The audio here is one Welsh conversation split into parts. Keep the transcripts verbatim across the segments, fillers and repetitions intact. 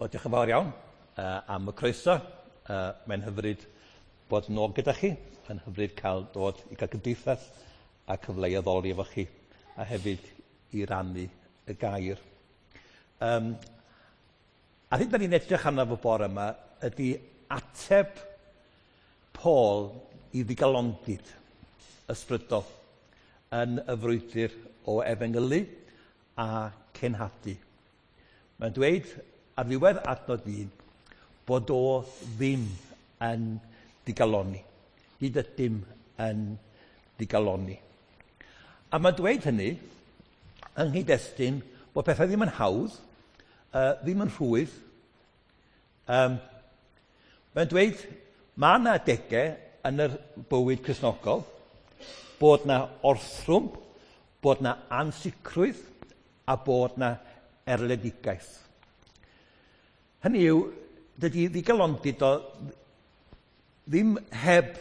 Wel, diolch yn fawr iawn uh, am y croeso. Uh, mae'n hyfryd bod nôl gyda chi. Mae'n hyfryd cael dod i gael cymdeithas a cyfle i addoli efo chi a hefyd i rannu y gair. Um, a hyn da ni'n edrych arno fo bore yma ydy ateb Paul i ddigalondid ysbrydol yn y frwydr o efengylu a cenhadu. Mae'n dweud ar ddiwedd adnod un bod o ddim yn digalonni. Nid ydym yn digalonni. A mae'n dweud hynny yng nghyd-destun bod pethau ddim yn hawdd, uh, ddim yn rhwydd. Um, mae'n dweud mae yna adegau yn yr bywyd Cristnogol bod yna orthrwm, bod yna ansicrwydd a bod yna erledigaeth. Hynny yw, dydy ddigalondid o ddim heb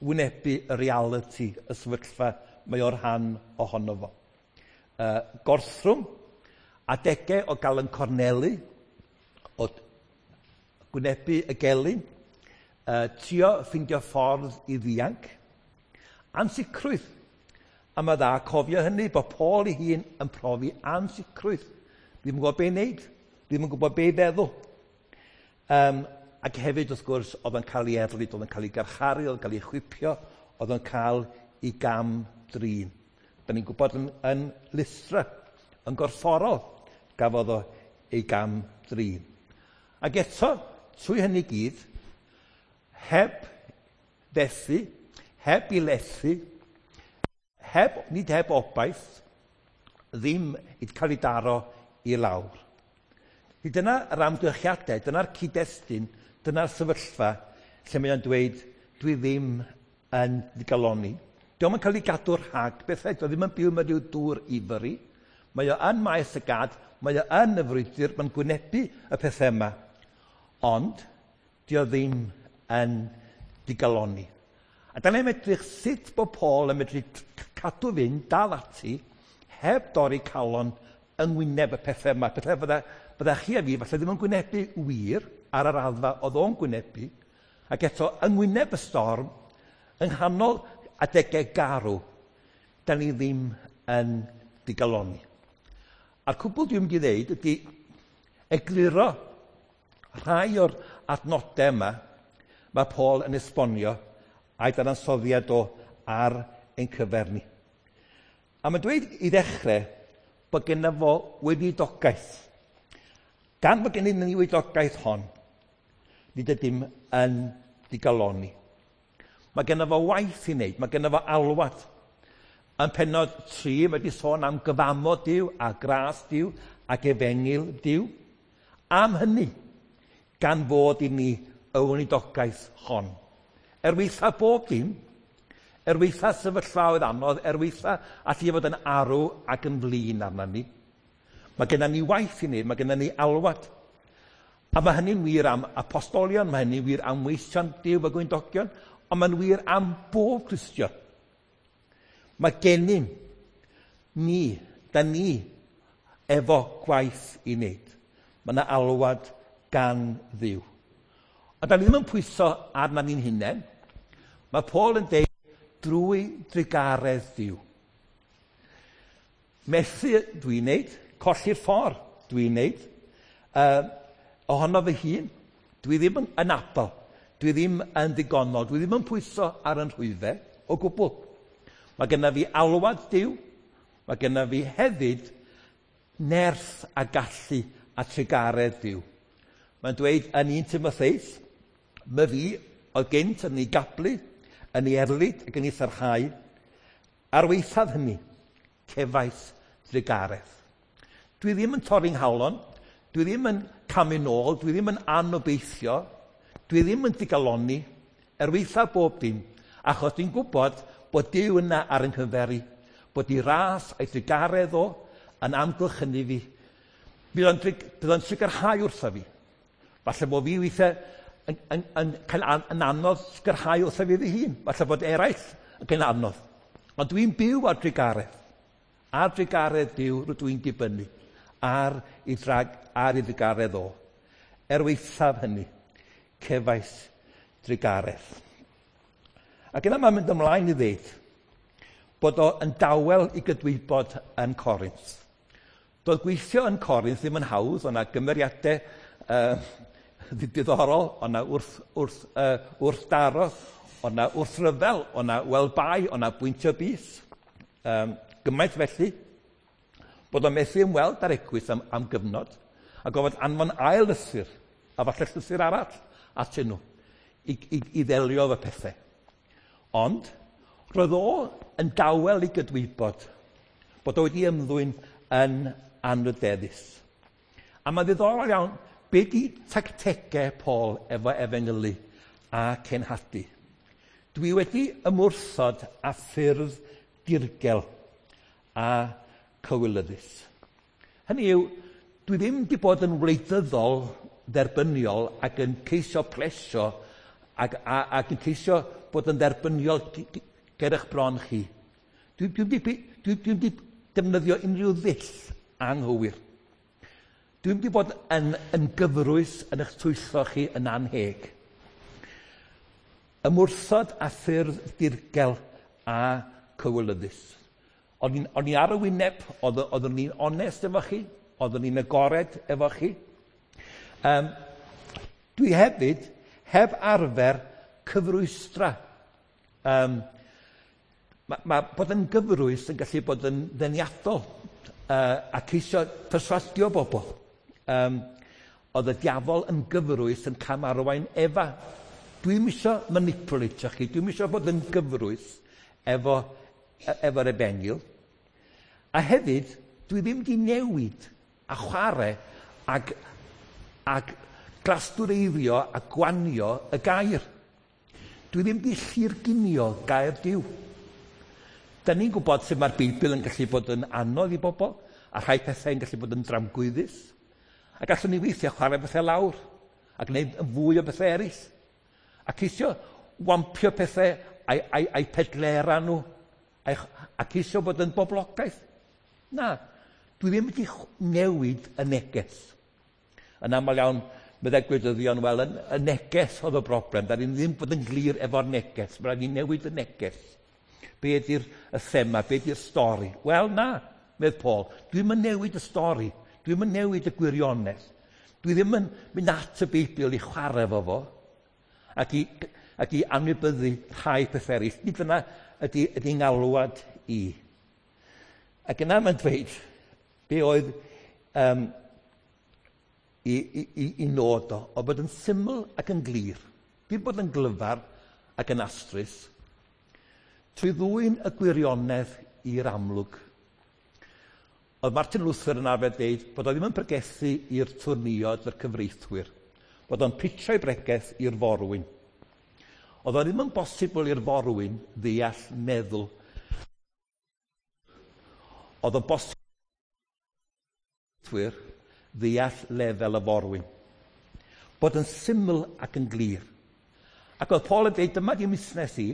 wynebu y realiti, y sefyllfa mae o'r rhan ohono fo. Uh, gorthrwm, adegau o gael yn cornelu, o gwynebu y gelyn, uh, trio ffeindio ffordd i ddianc, ansicrwydd. A mae dda cofio hynny bod Paul ei hun yn profi ansicrwydd. Ddim yn gwybod be i wneud, ddim yn gwybod be i feddwl. Um, ac hefyd, wrth gwrs, oedd yn cael ei erlid, oedd yn cael ei garcharu, oedd yn cael ei chwipio, oedd yn cael ei gam drin. Da ni'n gwybod yn, yn Lystra, yn gorfforol, gafodd o ei gam drin. Ac eto, trwy hynny gyd, heb fethu, heb i lethu, heb, nid heb obaith, ddim i cael ei daro i lawr. Dyna yr amgylchiadau, dyna'r cyd-destun, dyna'r sefyllfa lle mae o'n dweud, dwi ddim yn digalonni. Dio'm yn cael ei gadw rhag bethau, dio ddim yn byw mewn rhyw dŵr ifori. Mae o yn maes y gad, mae o yn y frwydr, mae'n gwynebu y pethau yma. Ond, dio ddim yn digalonni. A da ni'n edrych sut bod Paul yn medru cadw fynd, dal ati, heb dorri calon yng ngwyneb y pethau yma. Pethau fydda, fydda chi a fi falle ddim yn gwynebu wir ar yr raddfa oedd o'n gwynebu, ac eto yng ngwyneb y storm, yng nghanol adegau garw, da ni ddim yn digalonni. A'r cwbl dwi'n mynd i ddeud ydy egluro rhai o'r adnodau yma mae Paul yn esbonio a'i dadansoddiad o ar ein cyfer ni. A mae'n dweud i ddechrau bod genna fo weinidogaeth. Gan bod gennym ni weinidogaeth hon, nid ydym yn digalonni. Mae genna fo waith i wneud, mae genna fo alwad. Yn pennod tri, mae wedi sôn am gyfamod Duw a gras Duw ac efengyl Duw. Am hynny, gan fod i ni y weinidogaeth hon. Er weitha bob dim, er weitha sefyllfaoedd anodd, er weitha allu fod yn arw ac yn flin arna ni. Mae genna ni waith i wneud, mae genna ni alwad. A mae hynny'n wir am apostolion, mae hynny'n wir am weision Duw a gweinidogion, ond mae'n wir am bob Cristion. Mae gennym ni, da ni, efo gwaith i wneud. Mae yna alwad gan Dduw. Ond da ni ddim yn pwyso arna ni'n hunain. Mae Paul yn deud drwy drugaredd Duw. Methu dwi'n wneud, colli'r ffordd dwi'n wneud, uh, ohono fy hun, dwi ddim yn, yn abl, dwi ddim yn ddigonol, dwi ddim yn pwyso ar yn rhwyfau o gwbl. Mae genna fi alwad Duw, mae genna fi hefyd nerth a gallu a trugaredd Duw. Mae'n dweud yn un Timotheus, my fi oedd gynt yn ei gablu, yn ei erlid ac yn ei sarhau, ar waethaf hynny, cefais drugaredd. Dwi ddim yn torri'n nghalon, dwi ddim yn camu nôl, dwi ddim yn anobeithio, dwi ddim yn digalonni, er waethaf bob dim, achos dwi'n gwybod bod Duw yna ar yn nghyfer i, bod ei ras a'i drugaredd o yn amgylchynu fi. Bydd o'n, bydd o'n sicrhau wrtho fi. Falle bod fi weithiau yn, yn, yn cael an, yn anodd sicrhau wrtho fi fy hun. Falle bod eraill yn cael anodd. Ond dwi'n byw ar drugaredd. Ar drugaredd Duw rydw i'n dibynnu. Ar ei, drag, ar ei drugaredd o. Er waethaf hynny, cefais drugaredd. Ac yna mae'n mynd ymlaen i ddeud bod o yn dawel i gydwybod yn Corinth. Doedd gweithio yn Corinth ddim yn hawdd, o'na gymeriadau uh, diddorol, o'na wrth, wrth, uh, wrthdaro, o'na wrthryfel, o'na welbai, o'na bwyntio bys. Um, gymaint felly, bod o'n methu ymweld â'r eglwys am, am gyfnod, a gofod anfon ail lythyr, a falle llythyr arall atyn nhw, i, i, i ddelio efo pethau. Ond, roedd o yn dawel i gydwybod bod o wedi ymddwyn yn anrydeddus. A mae'n ddiddorol iawn, be di tactegau Paul efo efengylu a cenhadu? Dwi wedi ymwrthod â ffyrdd dirgel a cywilyddus. Hynny yw, dwi ddim wedi bod yn wleidyddol dderbyniol ac yn ceisio plesio ac, a, ac yn ceisio bod yn dderbyniol ger eich bron chi. Dwi, dwi, dwi, dwi, dwi wedi defnyddio unrhyw ddull anghywir. Dwi wedi bod yn, yn gyfrwys yn eich twyllo chi yn anheg. Ymwrthod a ffyrdd dirgel a cywilyddus. O'n i'n, o'n i ar y wyneb, oeddwn ni'n onest efo chi, oeddwn ni'n agored efo chi. Um, dwi hefyd heb arfer cyfrwystra. Um, mae, ma bod yn gyfrwys yn gallu bod yn ddeniadol uh, a ceisio perswadio bobl. Um, oedd y diafol yn gyfrwys yn camarwain Efa. Dwi'm isio manipulatio chi, dwi'm isio bod yn gyfrwys efo, efo'r efengyl. A hefyd, dwi ddim wedi newid a chwarae ag, ag glastwreiddio a gwanio y gair. Dwi ddim wedi llurgunio gair Duw. Da ni'n gwybod sut mae'r Beibl yn gallu bod yn anodd i bobl, a rhai pethau yn gallu bod yn dramgwyddus. A gallwn ni weithiau chwarae bethau lawr, a gwneud yn fwy o bethau eraill. A ceisio wampio pethau a'i, a'i, a'i pedlera nhw, a'i, a ceisio bod yn boblogaeth. Na, dwi ddim wedi newid y neges. Yn aml iawn, meddai gwleidyddion, wel, y neges oedd y broblem. Da ni ddim bod yn glir efo'r neges. Mae rhaid ni newid y neges. Be ydy'r y thema, be ydy'r stori? Wel, na, medd Paul, dwi'm yn newid y stori. Dwi'm yn newid y gwirionedd. Dwi ddim yn mynd at y Beibl i chwarae efo fo ac i, ac i anwybyddu rhai pethau eraill. Nid dyna ydy, ydy ngalwad i. Ac yna mae'n dweud be oedd um, i, i, i, i nod o, o bod yn syml ac yn glir. Dim bod yn glyfar ac yn astrus, trwy ddwyn y gwirionedd i'r amlwg. Oedd Martin Luther yn arfer dweud bod o ddim yn pregethu i'r twrniod a'r cyfreithwyr, bod o'n pitio'i bregeth i'r forwyn. Oedd o ddim yn bosibl i'r forwyn ddeall meddwl. Oedd o'n bosibl ddeall lefel y forwyn. Bod yn syml ac yn glir. Ac oedd Paul yn dweud, dyma di musnes i,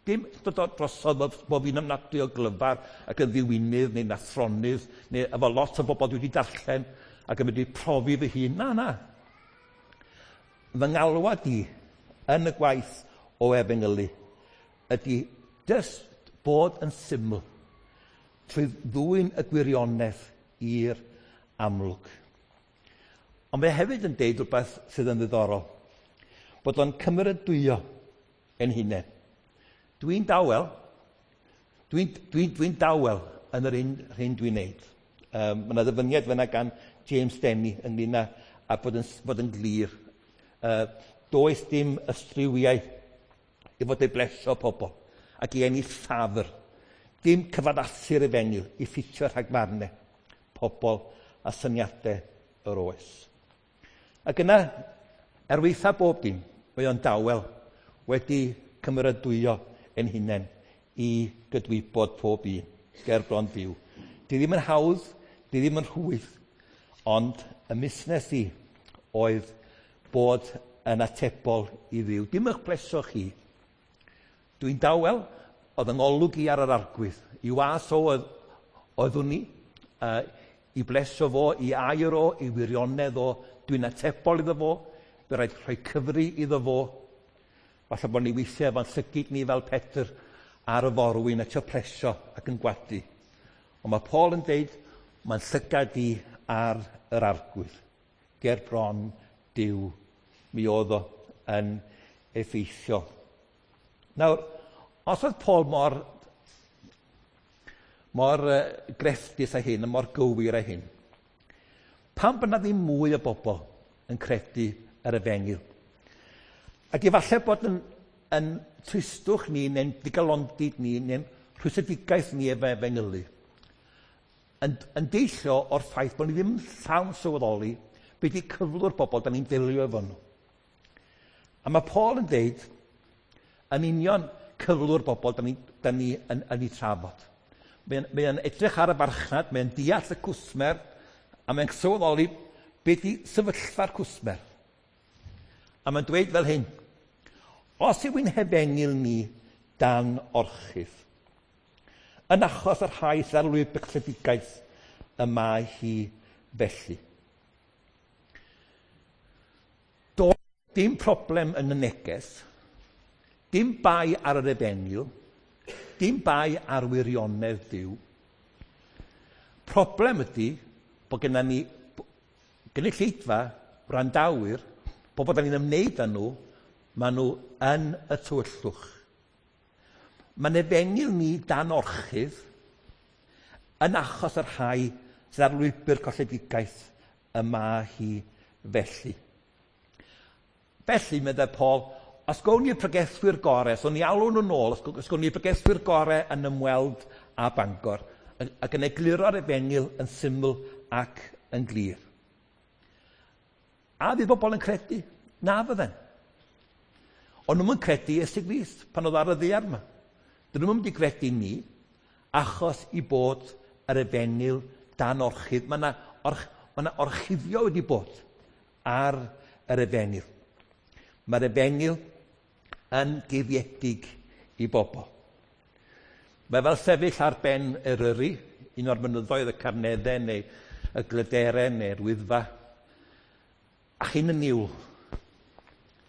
dim dod drosodd bod fi'n ymnadwy o glyfar ac yn ddiwinydd neu'n athronydd, neu efo lot o bobl dwi wedi darllen ac yn wedi profi fy hun. Na, na. Fy ngalwad i yn y gwaith o efengylu ydy jyst bod yn syml trwy ddwyn y gwirionedd i'r amlwg. Ond mae hefyd yn deud rhywbeth sydd yn ddiddorol, bod o'n cymeradwyo ein hunain. Dwi'n dawel, dwi'n dwi, dwi dawel yn yr un hyn dwi'n neud. Um, mae yna ddyfyniad fyna gan James Denny ynglyn â, a bod yn, bod yn glir. Uh, does dim ystrywiau i fod ei blesio pobl ac i ennill ffafr. Dim cyfaddasu'r efengyl i ffitio rhagfarnau pobl a syniadau yr oes. Ac yna, er waetha bob dim, mae o'n dawel wedi cymeradwyo ein hunain i gydwybod pob un, ger bron Duw. Di ddim yn hawdd, di ddim yn rhwydd, ond y musnes i oedd bod yn atebol i Dduw. Dim eich plesio chi. Dwi'n dawel, oedd yng ngolwg i ar yr arglwydd. I was o oedd, oeddwn ni, uh, i blesio fo, i air o, i wirionedd o, Dwi'n atebol iddo fo, bydd rhaid rhoi cyfri iddo fo. Falle bod ni weithiau efo'n llygid ni fel Pedr ar y forwyn a trio plesio ac yn gwadu. Ond mae Paul yn deud, mae'n llygad i ar yr Arglwydd. Ger bron Duw, mi oedd o yn effeithio. Nawr, os oedd Paul mor, mor uh, grefftus â hyn, a mor gywir â hyn, pam bod 'na ddim mwy o bobl yn credu yr efengyl? Ac efallai bod yn, yn tristwch ni, neu'n digalondid ni, neu'n rhwystredigaeth ni efo efengylu, yn, yn deillio o'r ffaith bod ni ddim yn llawn sylweddoli be di cyflwr bobl da ni'n delio efo nhw. A mae Paul yn deud, yn union cyflwr bobl da ni, da ni yn, yn ei trafod. Mae'n mae edrych ar y farchnad, mae'n deall y cwsmer, a mae'n sylweddoli be di sefyllfa'r cwsmer. A mae'n dweud fel hyn, os yw'n hefengyl ni dan orchudd, yn achos yr rhai sydd ar lwybr colledigaeth y mae hi felly. Does dim problem yn y neges, dim bai ar yr efengyl, dim bai ar wirionedd Duw. Problem ydy bod gennym ni gynulleidfa, wrandawyr, bobl da ni'n ymwneud â nhw, maen nhw yn y tywyllwch. Mae'n efengyl ni dan orchudd yn achos yr rhai sydd ar lwybr colledigaeth y mae hi felly. Felly, meddai Paul, os gawn ni'r pregethwyr gorau, os o'n ni alw nhw nôl, os gawn ni'r pregethwyr gorau yn ymweld â Bangor, ac yn egluro'r efengyl yn syml ac yn glir. A fydd bobl yn credu? Na fydden. Ond nhw'n credu Iesu Grist pan oedd ar y ddaear yma. Dyn nhw'n mynd i gredu ni achos i bod yr efengyl dan orchudd. Mae yna orch, ma yna orchuddio wedi bod ar yr efengyl. Mae'r efengyl yn guddiedig i bobl. Mae fel sefyll ar ben Eryri, un o'r mynyddoedd y Carneddau neu y Glyderau neu'r Wyddfa, a chi'n y niwl.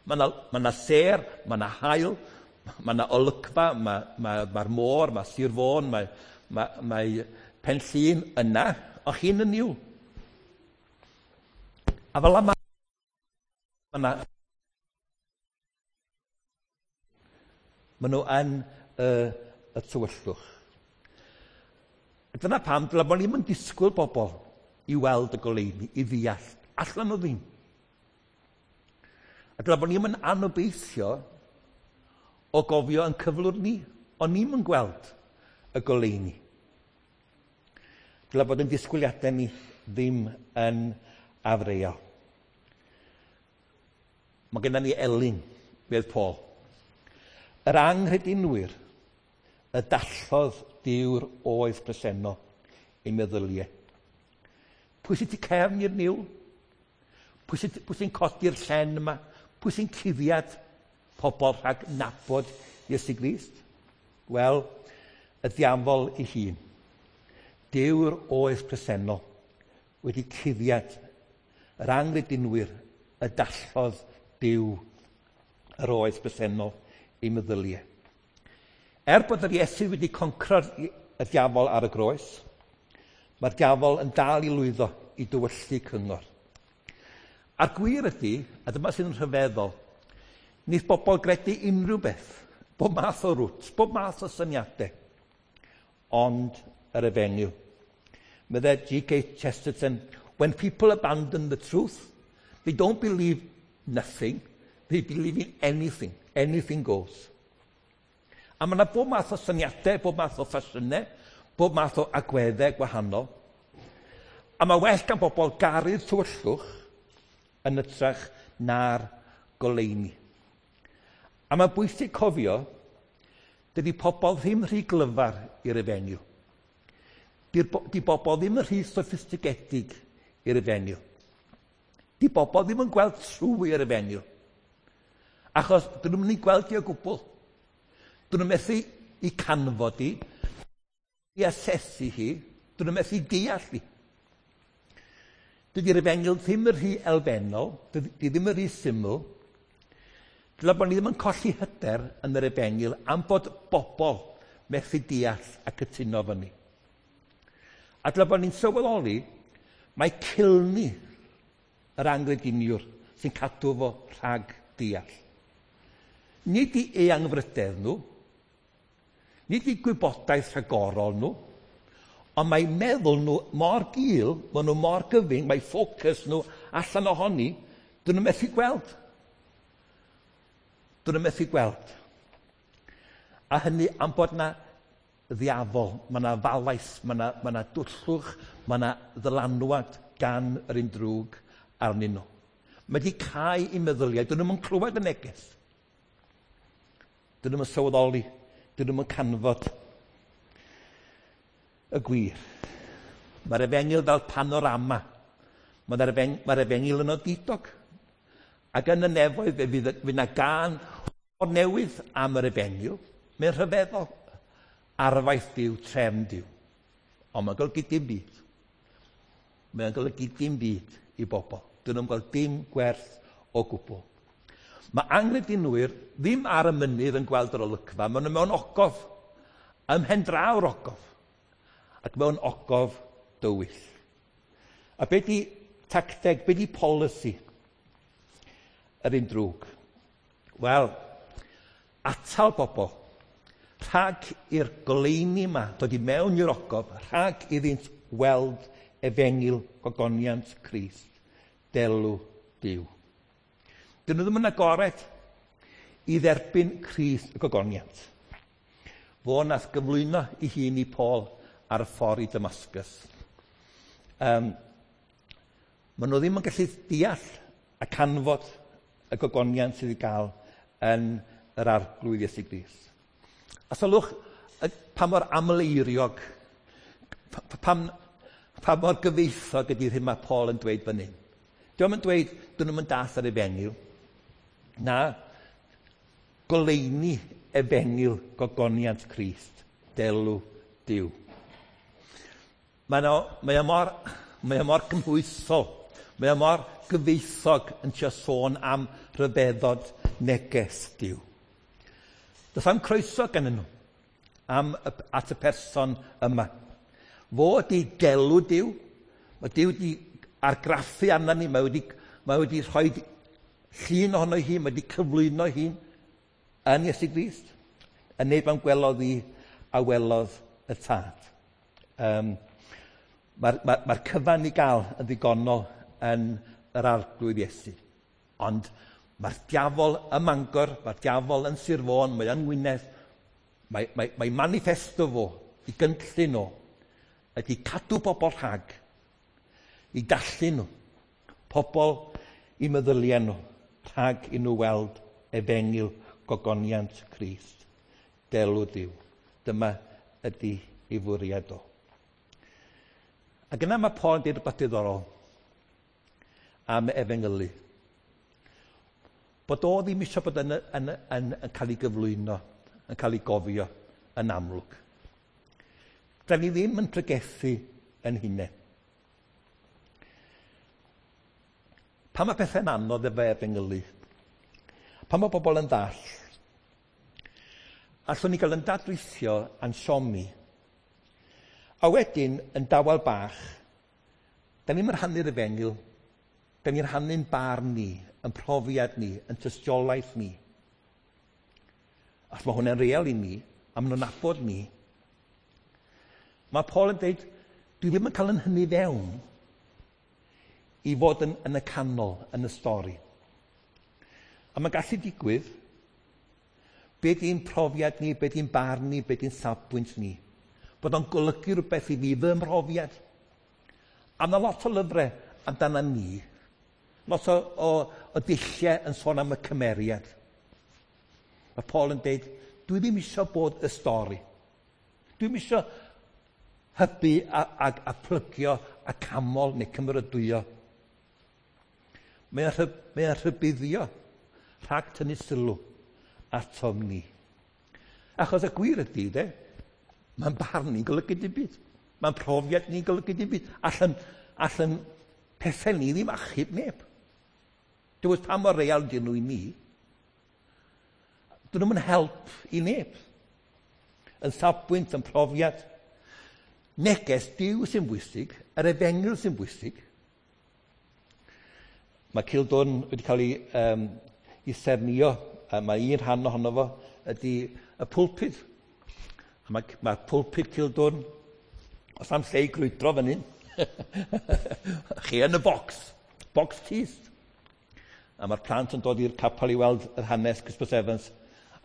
Mae yna, ma yna sêr, mae yna haul, mae yna olygfa, mae'r ma, ma, ma môr, mae Sir Fôn, mae, mae, mae Pen Llŷn yna, ond chi'n y niwl. A fel yma, mae yna... Maen nhw yn y, y tywyllwch. A dyna pam, dyla bod ni'n disgwyl bobl i weld y goleuni, i ddeall. Allan nhw ddim. A dyla bod ni'n anobeithio o gofio yn cyflwr ni, ond ni'n yn gweld y goleuni. Dyla bod yn disgwyliadau ni ddim yn afreal. Mae gennym ni elyn, medd Paul. Yr anghredinwyr y dallodd Duw'r oes presennol ei meddyliau. Pwy sy'n tu cefn i'r niwl? Pwy sy'n, pwy sy'n codi'r llen yma? Pwy sy'n cuddiad pobl rhag nabod Iesu Grist? Wel, y diafol ei hun. Duw'r oes presennol wedi cuddiad yr anghredinwyr y dallodd Duw yr oes presennol ei meddyliau. Er bod yr Iesu wedi concro'r y diafol ar y groes, mae'r diafol yn dal i lwyddo i dywyllu cyngor. A'r gwir ydy, a dyma sydd yn rhyfeddol, wneith bobl gredu unrhyw beth, bob math o rwt, bob math o syniadau, ond yr efengyl. Meddai G K Chesterton, when people abandon the truth, they don't believe nothing, they believe in anything. Anything goes. A mae yna bob math o syniadau, bob math o ffasiynau, bob math o agweddau gwahanol. A mae well gan bobl garu'r tywyllwch yn hytrach na'r goleuni. A mae bwysig cofio, dydy pobl ddim rhy glyfar i'r efengyl. Di bobl ddim yn rhy soffistigedig i'r efengyl. Di bobl ddim yn gweld trwy yr efengyl. Achos dyn nhw'n mynd i gweld i o gwbl. Dyn nhw'n methu i canfod i, i asesu hi, dyn nhw'n methu deall hi. Dydy'r efengyl ddim yn rhy elfennol, dydy ddim yn rhy syml. Dyla bod ni ddim yn colli hyder yn yr efengyl am bod bobl methu deall a cytuno fyny. A dyla bod ni'n sylweddoli mae cilni yr angrediniwr sy'n cadw fo rhag deall. Nid i eangfrydedd nhw, nid i gwybodaeth rhagorol nhw, ond mae meddwl nhw mor gul, maen nhw mor gyfyng, mae ffocws nhw allan ohoni, dyn nhw methu gweld. Dyn nhw methu gweld. A hynny am bod na ddiafol, mae yna falais, mae yna, mae yna dwllwch, mae yna ddylanwad gan yr un drwg arnyn nhw. Mae wedi cau i meddyliau, dyn nhw'n clywed y neges. Dyn nhw'n sylweddoli, dyn nhw'n canfod y gwir. Mae'r efengyl fel panorama. Mae'r efeng, mae'r efengyl yn odidog. Ac yn y nefoedd fe fydd, fydd yna gân o'r newydd am yr efengyl. Mae'n rhyfeddol. Arfaeth Duw, trefn Duw. Ond mae'n golygu dim byd. Mae'n golygu dim byd i bobl. Dyn nhw'n gweld dim gwerth o gwbl. Mae angredinwyr ddim ar y mynydd yn gweld yr olygfa. Maen nhw mewn ogof, ym mhen draw'r ogof, ac mewn ogof dywyll. A be di tacteg, be di polisi yr un drwg? Wel, atal bobl rhag i'r goleuni yma dod i mewn i'r ogof, rhag iddynt weld efengyl gogoniant Crist, delw Duw. Dyn nhw ddim yn agored i dderbyn Crist y gogoniant. Fo nath gyflwyno ei hun i Paul ar y ffordd i Damascus. Um, maen nhw ddim yn gallu deall a canfod y gogoniant sydd i gael yn yr Arglwydd Iesu Grist. A sylwch pa mor amleiriog, pa, pa mor gyfeithog ydy'r hyn mae Paul yn dweud fan hyn. Dio'm yn dweud, dyn nhw'n dall ar efengyl. Na, goleuni efengyl gogoniant Crist, delw Duw. Mae o, mae o mor, mae o mor gymhwysol, mae o mor gyfeithog yn trio sôn am rhyfeddod neges Duw. Does am croeso gan nhw am, at y person yma. Fo ydi delw Duw, mae Duw wedi argraffu arna ni, mae wedi, mae wedi rhoi llun ohono hi, mae wedi cyflwyno hi yn Iesu Grist. Y neb am gwelodd hi a welodd y tad. Um, Mae'r ma, ma cyfan i gael yn ddigonol yn yr Arglwydd Iesu. Ond mae'r diafol ym Mangor, mae'r diafol yn Sir Fôn, mae yn Ngwynedd, mae, mae, mae manifesto fo, i gynllun o, ydy cadw bobl rhag, i dallu nhw, pobl i meddyliau nhw, rhag i nhw weld efengyl gogoniant Crist, delw Duw. Dyma ydy ei fwriad o. Ac yna mae Paul yn dweud rhywbeth diddorol am efengylu. Bod o ddim eisiau bod yn, yn, yn, yn cael ei gyflwyno, yn cael ei gofio yn amlwg. Da ni ddim yn pregethu yn hunain. Pan mae pethau'n anodd efo efengylu, pan mae bobl yn ddall, allwn ni gael yn dadrithio a'n siomi, a wedyn yn dawel bach, da ni'n rhannu'r efengyl, da ni'n rhannu'n barn ni, yn profiad ni, yn tystiolaeth ni. Ac mae hwnna'n real i ni, a maen nhw'n nabod ni. Mae Paul yn dweud, dwi ddim yn cael yn hynny fewn i fod yn, yn y canol, yn y stori. A mae'n gallu digwydd, be di'n profiad ni, be di'n barn ni, be di'n safbwynt ni. Bod o'n golygu rhywbeth i fi, fy mhrofiad. A mae lot o lyfrau amdana ni, lot o, o, o dulliau yn sôn am y cymeriad. Mae Paul yn dweud, dwi ddim eisiau bod y stori. Dwi ddim eisiau hybu a, a, a plygio a camol neu cymeradwyo. Mae'n rhy, mae rhybuddio rhag tynnu sylw atom ni. Achos y gwir ydy, de, mae'n barn ni'n golygu dim byd. Mae'n profiad ni'n golygu dim byd. Allan, allan Pethau ni ddim achub neb. Dywed pa mor real dyn nhw i ni. Dyn nhw'n help i neb. Yn safbwynt, yn profiad. Neges Duw sy'n bwysig, yr efengyl sy'n bwysig. Mae Cildwrn wedi cael ei, um, ei sernio, a mae un rhan ohono fo ydy y pulpud. A mae, mae pulpud Cildwrn, os am lle i grwydro fan hyn, chi yn y bocs, bocs tyst. A mae'r plant yn dod i'r capel i weld yr hanes Christmas Evans.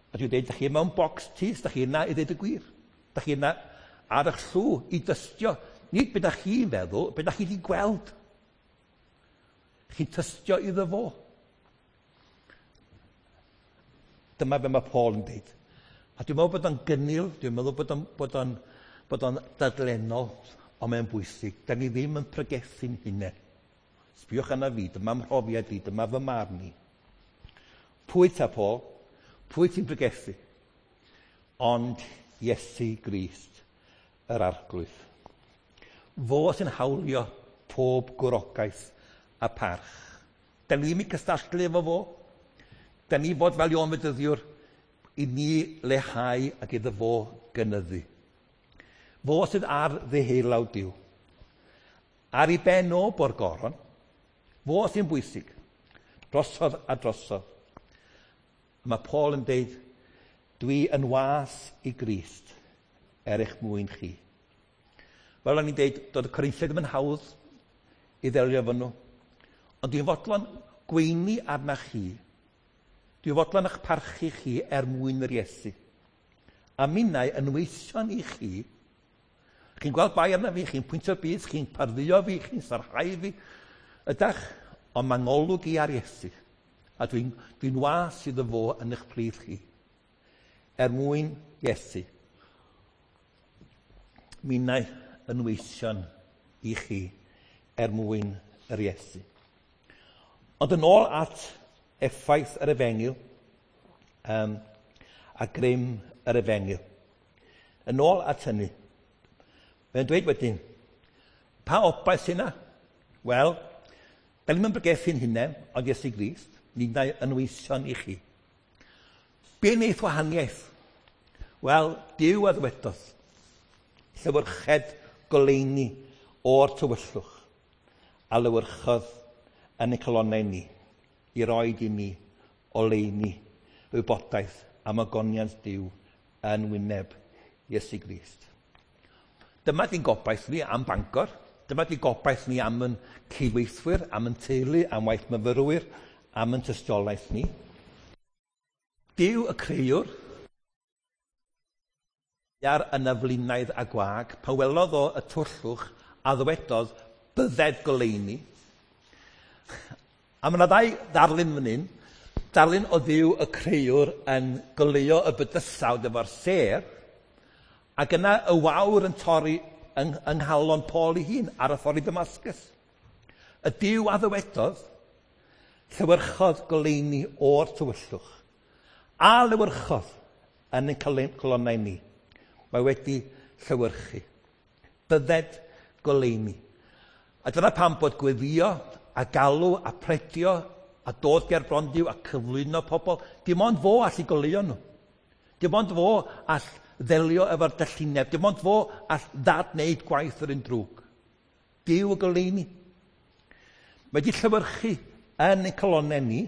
A dwi'n dweud, da chi mewn bocs tyst, da chi yna i ddeud y gwir. Da chi yna ar eich llw i dystio. Nid be da chi'n feddwl, be da chi wedi gweld. Chi'n tystio iddo fo. Dyma be mae Paul yn dweud. A dwi'n meddwl bod o'n gynnil, dwi'n meddwl bod o'n, bod o'n, bod o'n dadlennol, ond mae'n bwysig. Da ni ddim yn pregethu'n hunain. Sbiwch arna fi, dyma mhrofiad i, dyma fy marn i. Pwy ta, Paul? Pwy ti'n pregethu? Ond Iesu Grist, yr Arglwydd. Fo sy'n hawlio pob gwrogaeth a parch. Da ni ddim yn cystadlu efo fo. Da ni fod fel Ioan Fedyddiwr i ni lehau ac iddo fo gynyddu. Fo sydd ar ddeheulaw Duw. Ar ei ben o bo'r goron, fo sy'n bwysig, drosodd a drosodd. Mae Paul yn deud, dwi yn was i Grist er eich mwyn chi. Fel o'n i'n deud, doedd y Corinthiaid ddim yn hawdd i ddelio efo nhw. Ond dwi'n fodlon gweini arna chi. Dwi'n fodlon eich parchu chi er mwyn yr Iesu. A minnau yn weision i chi. Chi'n gweld bai arna fi, chi'n pwyntio bys, chi'n pardduo fi, chi'n sarhau fi. Ydach, ond mae ngolwg i ar Iesu. A dwi'n dwi was iddo fo yn eich plith chi. Er mwyn Iesu. Minnau yn weision i chi er mwyn yr Iesu. Ond yn ôl at effaith yr efengyl um, a grym yr efengyl. Yn ôl at hynny, mae'n dweud wedyn, pa obaith sy'n yna? Wel, da ni'n bregethu'n hunain, ond Iesu Grist, ni'n yn weision i chi. Be wneith wahaniaeth? Wel, Duw a ddywedodd, llewyrched goleuni o'r tywyllwch, a lewyrchodd yn y calonnau ni, i roed i ni oleuni wybodaeth am ogoniant Duw yn wyneb Iesu Grist. Dyma di'n gobaith ni am Bangor, dyma di'n gobaith ni am yn cydweithwyr, am yn teulu, am waith myfyrwyr, am yn tystiolaeth ni. Duw y creuwr, ar yn aflinaidd a gwag, pan welodd o y twllwch a ddywedodd bydded goleuni. A mae yna ddau ddarlun fan hyn, darlun o Dduw y creuwr yn goleuo y bydysawd efo'r sêr, ac yna y wawr yn torri yng, yng nghalon Paul ei hun ar y ffordd i Damascus. Y Duw a ddywedodd, llewyrchodd goleuni o'r tywyllwch, a lewyrchodd yn ein calonnau ni. Mae wedi llewyrchu. Bydded goleuni. A dyna pam bod gweddio a galw a predio a dod ger bron Duw a cyflwyno pobl, dim ond fo all i goleuo nhw. Dim ond fo all ddelio efo'r dallineb. Dim ond fo all ddadwneud gwaith yr un drwg. Duw y goleuni. Mae wedi llewyrchu yn ein calonnau ni.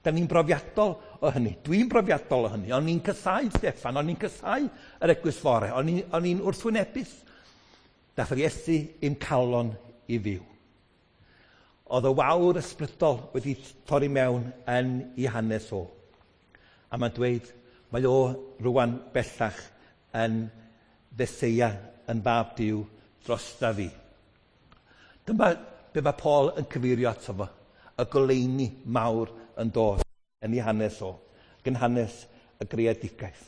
Da ni'n brofiadol o hynny. Dwi'n brofiadol o hynny. O'n i'n casau Steffan, o'n i'n casau yr eglwys fore, o'n i'n wrthwynebus. Dath yr Iesu i'm calon i fyw. Oedd y wawr ysbrydol wedi torri mewn yn ei hanes o. A mae'n dweud, mae o rwan bellach yn Feseia, yn fab Duw drosta fi. Dyma be mae Paul yn cyfeirio ato fo, y goleuni mawr yn dod yn ei hanes o, ac yn hanes y greadigaeth.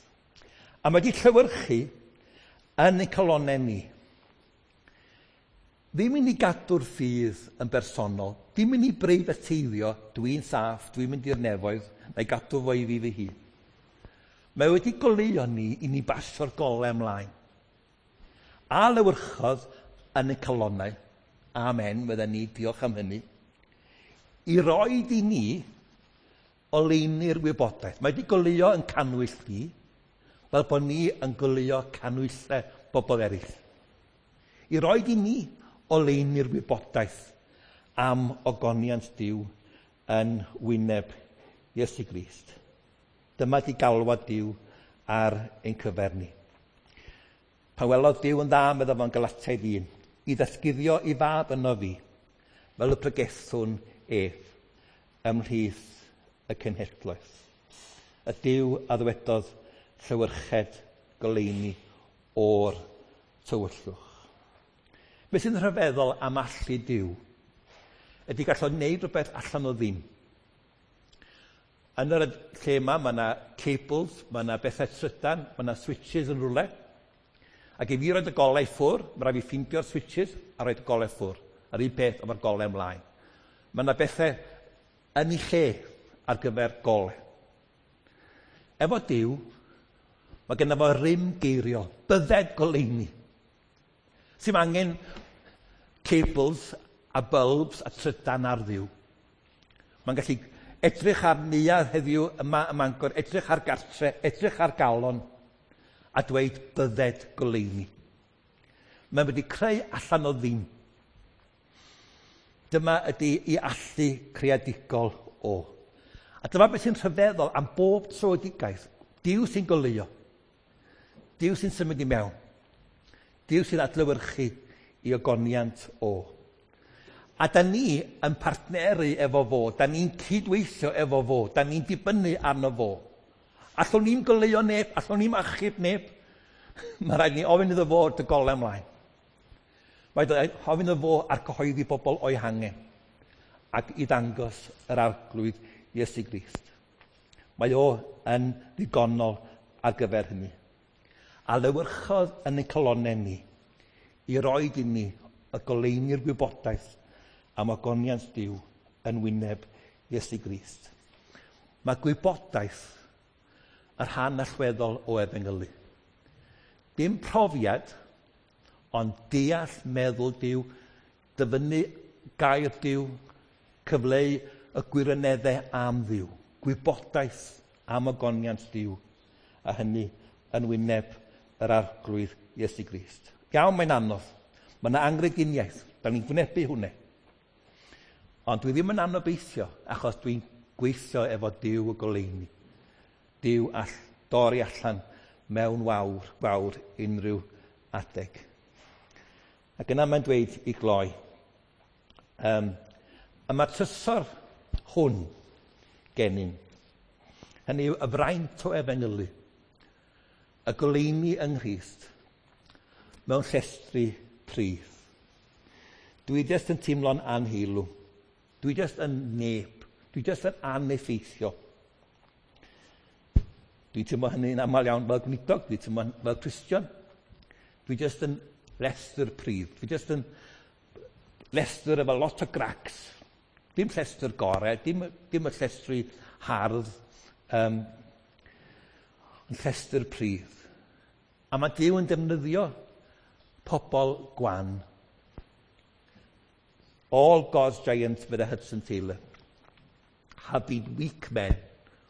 A mae wedi llewyrchu yn ein calonnau ni. Ddim i ni gadw'r ffydd yn bersonol, ddim i ni breifateiddio, dwi'n saff, dwi'n mynd i'r nefoedd, na i gadw fo i fi fy hun. Mae wedi goleuo ni i ni basio'r golau ymlaen. A lewyrchodd yn ein calonnau, Amen, fydden ni, diolch am hynny. I roed i ni oleuni'r wybodaeth. Mae wedi goleuo yn cannwyll ni, fel bod ni yn goleuo canwyllau bobl eraill. I roed i ni oleuni'r wybodaeth am ogoniant Duw yn wyneb Iesu Grist. Dyma di galwad Duw ar ein cyfer ni. Pan welodd Duw yn dda, meddai fo'n Galatiaid un, i ddatguddio i fab yno fi, fel y pregethwn ef ymhlith y cenhedloedd. Y Duw a ddywedodd llewyrched goleuni o'r tywyllwch. Be sy'n rhyfeddol am allu Duw ydy gall o wneud rhywbeth allan o ddim. Yn yr lle yma, mae yna cables, mae yna bethau trydan, mae yna switches yn rhywle. Ac i fi roed y golau ffwr, mae rhaid fi ffeindio'r switches a roed y golau ffwr. A'r un peth efo'r golau ymlaen. Mae yna bethau yn ei lle ar gyfer golau. Efo Duw, mae genna fo rym geiriol, bydded goleuni. Sy'm angen cables a bulbs a trydan ar Dduw. Mae'n gallu edrych ar neuadd heddiw yma ym Mangor, edrych ar gartre, edrych ar galon, a dweud bydded goleuni. Mae'n wedi creu allan o ddim. Dyma ydy i allu creadigol o. A dyma beth sy'n rhyfeddol am bob tröedigaeth. Duw sy'n goleuo. Duw sy'n symud i mewn. Duw sy'n adlewyrchu i ogoniant o. A da ni yn partneru efo fo, da ni'n cydweithio efo fo, da ni'n dibynnu arno fo. Allwn ni'n goleuo neb, allwn ni'n achub neb. Mae rhaid ni ofyn iddo fo dy golau ymlaen. Mae rhaid ofyn iddo fo ar cyhoeddi bobl o'i hangen ac i ddangos yr Arglwydd Iesu Grist. Mae o yn ddigonol ar gyfer hynny. A lewyrchodd yn ein calonnau ni i roed i ni y goleuni'r gwybodaeth am ogoniant Duw yn wyneb Iesu Grist. Mae gwybodaeth y rhan allweddol o efengylu. Dim profiad, ond deall meddwl Duw, dyfynnu gair Duw, cyfleu y gwirioneddau am Dduw, gwybodaeth am ogoniant Duw, a hynny yn wyneb yr Arglwydd Iesu Grist. Iawn, mae'n anodd. Mae yna angrediniaeth. Da ni'n gwynebu hwnna. Ond dwi ddim yn anobeithio, achos dwi'n gweithio efo Duw y goleuni. Duw all dorri allan mewn wawr, wawr unrhyw adeg. Ac yna mae'n dweud i gloi. Um, a mae'r trysor hwn gennym. Hynny yw y fraint o efengylu, y goleuni yng Nghrist, mewn llestri pridd. Dwi jyst yn teimlo'n anheilw. Dwi jyst yn neb. Dwi jyst yn aneffeithiol. Dwi'n teimlo hynny'n aml iawn fel gweinidog, dwi'n teimlo fel Cristion. Dwi jyst yn lestr pridd. Dwi jyst yn lestr efo lot o gracs. Dim llestr gorau, dim, dim y llestri hardd, um, ond llestr pridd. A mae Duw yn defnyddio pobl gwan. All God's giants, with Hudson Taylor, have been weak men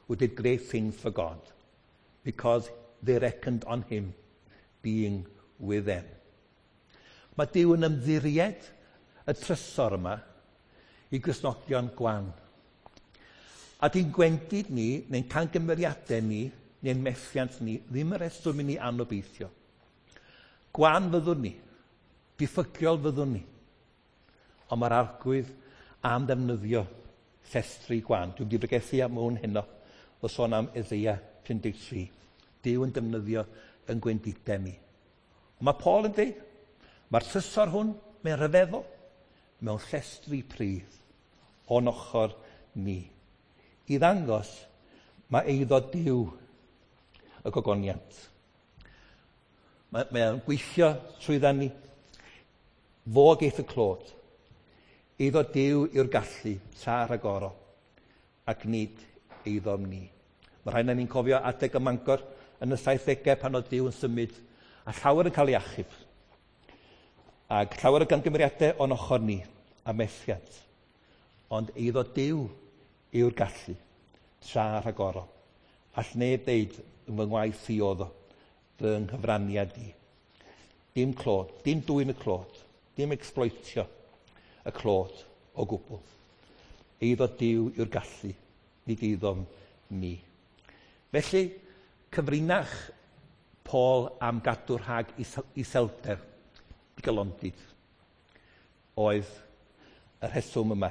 who did great things for God because they reckoned on him being with them. Mae Duw yn ymddiried y trysor yma i Gristnogion gwan. A di'n gwendid ni, neu'n cangymeriadau ni, neu'n methiant ni, ddim y reswm i ni anobeithio. Gwan fyddwn ni, diffygiol fyddwn ni, ond mae'r Arglwydd am ddefnyddio llestri gwan. Dwi'n wedi pregethu am hwn heno o sôn am Eseia pum deg tri. Duw yn defnyddio yn gwendidau ni. Ond mae Paul yn dweud, mae'r trysor hwn, mae'n rhyfeddol, mewn llestri pridd o'n ochr ni. I ddangos, mae eiddo Duw y gogoniant. Mae, mae'n gweithio trwydda ni. Fo geith y clod. Eiddo Duw yw'r gallu tra rhagorol, ac nid eiddom ni. Mae rhaid na ni'n cofio adeg y Mangor yn y saithdegau pan oedd Duw yn symud, a llawer yn cael ei achub. Ac llawer o gamgymeriadau o'n ochr ni a methiant. Ond eiddo Duw yw'r gallu, tra rhagorol. All neb ddeud yn fy ngwaith i oedd o, fy nghyfraniad i. Dim clod, dim dwyn y clod, dim exploitio y clod o gwbl. Eiddo Duw yw'r gallu, nid eiddom ni. Felly, cyfrinach Paul am gadw rhag iselder, digalondid, oedd y rheswm yma.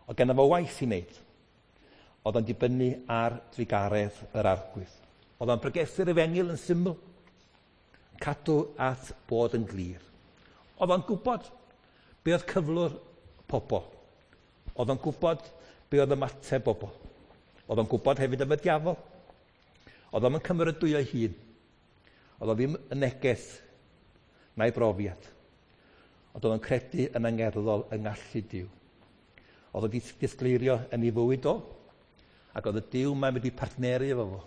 Oedd ganddo fo waith i wneud. Oedd o'n dibynnu ar drugaredd yr Arglwydd. Oedd o'n pregethu'r efengyl yn syml, cadw at bod yn glir. Oedd o'n gwybod be oedd cyflwr pobl. Oedd o'n gwybod be oedd ymateb bobl. Oedd o'n gwybod hefyd am y diafol. Oedd o'n cymeradwyo ei hun. Oedd o ddim yn neges na'i brofiad. Ond oedd o'n credu yn angerddol yng ngallu Duw. Oedd o'n disgleirio yn ei fywyd o, ac oedd y Duw mae'n wedi partneru efo fo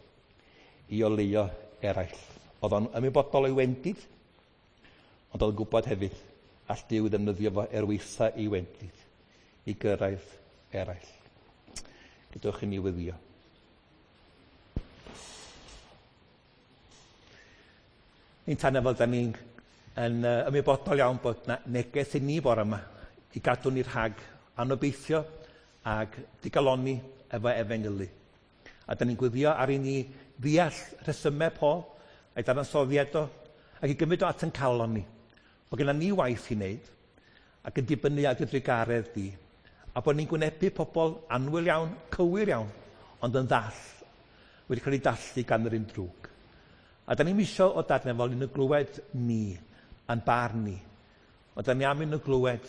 i oleuo eraill. Oedd o'n ymwybodol o'i wendid, ond oedd o'n gwybod hefyd all Duw ddefnyddio fo er waetha ei wendid i gyrraedd eraill. Gadewch i ni weddïo. Ni'n tanio fel da ni'n yn ymwybodol iawn bod na neges i ni bore yma i gadw ni rhag anobeithio ac digalonni efo efengylu. A da ni'n gweddio ar i ni ddeall rhesymau Paul a'i dadansoddiad o, ac i gymryd o at yn calon ni. Bod gennym ni waith i wneud ac yn dibynnu ar dy drugaredd di. A bod ni'n gwynebu pobl annwyl iawn, cywir iawn, ond yn ddall, wedi cael ei dallu gan yr un drwg. A da ni'n isio o Dad nefol i nhw glywed ni, a'n barn ni. Ond da ni am i nhw glywed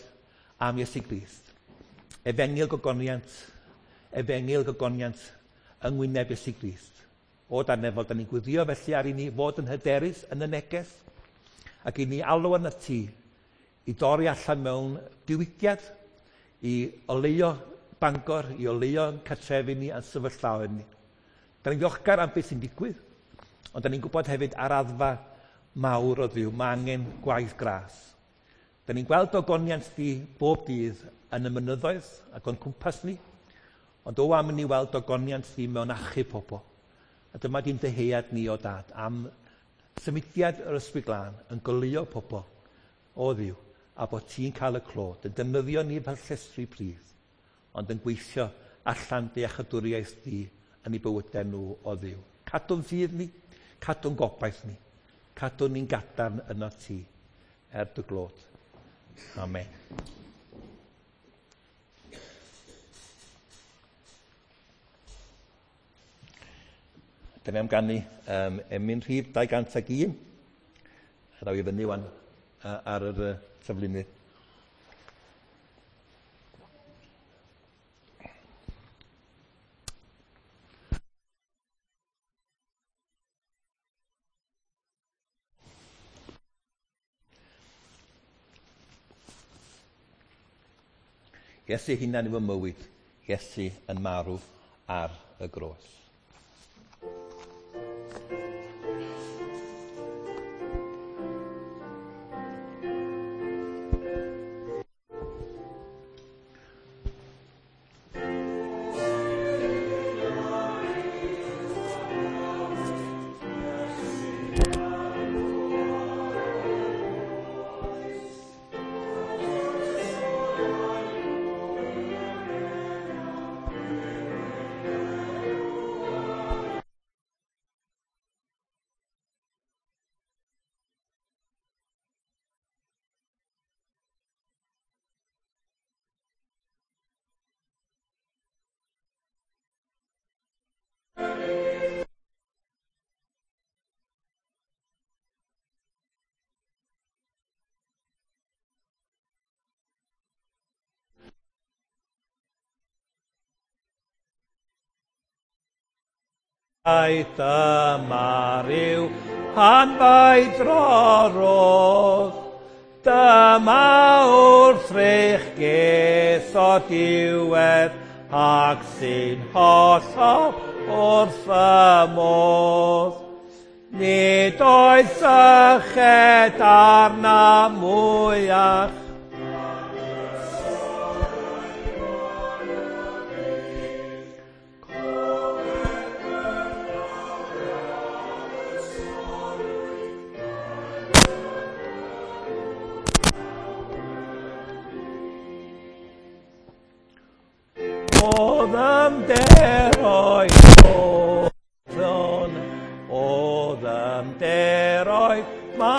am Iesu Grist. Efengyl gogoniant, efengyl gogoniant yng ngwyneb Iesu Grist. O Dad nefol, da ni'n gweddio felly ar i ni fod yn hyderus yn y neges, ac i ni alw arnat ti i dorri allan mewn diwygiad, i oleuo Bangor, i oleuo cartrefi ni a'n sefyllfaoedd ni. Da ni'n ddiolchgar am beth sy'n digwydd, ond da ni'n gwybod hefyd ar raddfa mawr o Dduw, mae angen gwaith gras. Da ni'n gweld ogoniant di bob dydd yn y mynyddoedd ac o'n cwmpas ni, ond o am i ni weld ogoniant di mewn achub pobl. A dyma di'n dyhead ni o Dad am symudiad yr Ysbryd Glân yn goleuo pobl o Dduw, a bod ti'n cael y clod, yn defnyddio ni fel llestri pridd, ond yn gweithio allan dy iachawdwriaeth di yn eu bywydau nhw o Dduw. Cadw'n ffydd ni, cadw'n gobaith ni, cadw'n ni'n gadarn yno ti, er dy glod. Amen. Da ni am ganu um, emyn rhif dau gant ag un. A ddaw i fyny wan ar yr uh, taflunydd. Iesu hunan yw y mywyd, Iesu yn marw ar y groes. Dyma ryw hanfaid rorodd, dyma wrthrych geth o diwedd, ac sy'n hollol wrth y modd. Nid oes syched arna mwyach. O ddyfnderoedd oeddwn, o ddyfnderoedd ma.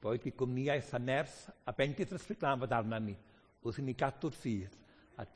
Boed i gwmnïaeth a nerth a bendith yr Ysbryd Glân fod arna ni, wrth i ni gadw'r ffydd.